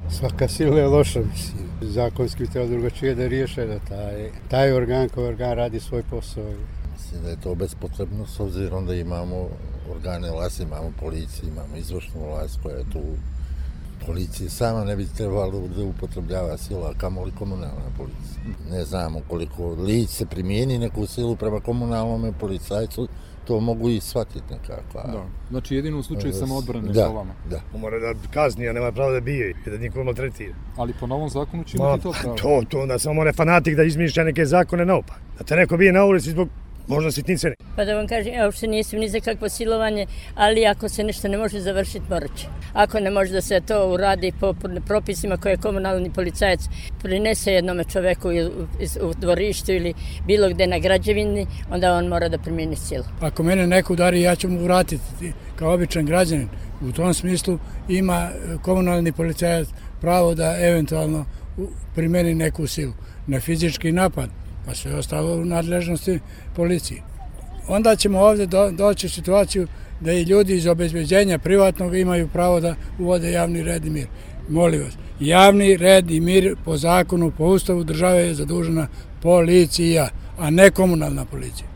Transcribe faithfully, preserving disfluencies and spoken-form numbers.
Svaka sila je loša, mislim. Zakonski bi trebalo drugačije da riješe da taj, taj organ koji organ radi svoj posao. Mislim da je to bespotrebno s obzirom da imamo organe vlasti, imamo policiju, imamo izvršnu vlast koja je tu. Policija sama ne bi trebalo da upotrebljava sila, kamoli komunalna policija. Ne znamo koliko lice primijeni neku silu prema komunalnom policajcu, to mogu i shvatiti nekako. Da, znači jedino u slučaju samoodbrane da, sa vama. Da. Mora da kazni, a nema pravo da bije i da nikoga maltretira. Ali po novom zakonu će imati to pravo. To, to, onda samo mora fanatik da izmišlja neke zakone naopak. Da te neko bije na ulici zbog možda sitnice. Pa da vam kažem, ja uopšte nisam ni za kakvo silovanje, ali ako se nešto ne može završiti, morat će. Ako ne može da se to uradi po propisima koje komunalni policajac prinese jednome čoveku u dvorištu ili bilo gde na građevini, onda on mora da primjeni silu. Ako mene neko udari, ja ću mu vratiti kao običan građanin. U tom smislu ima komunalni policajac pravo da eventualno primjeni neku silu. Na fizički napad, pa sve ostalo u nadležnosti policije. Onda ćemo ovdje do, doći u situaciju da i ljudi iz obezbeđenja privatnog imaju pravo da uvode javni red i mir. Molim vas, javni red i mir po zakonu, po ustavu države je zadužena policija, a ne komunalna policija.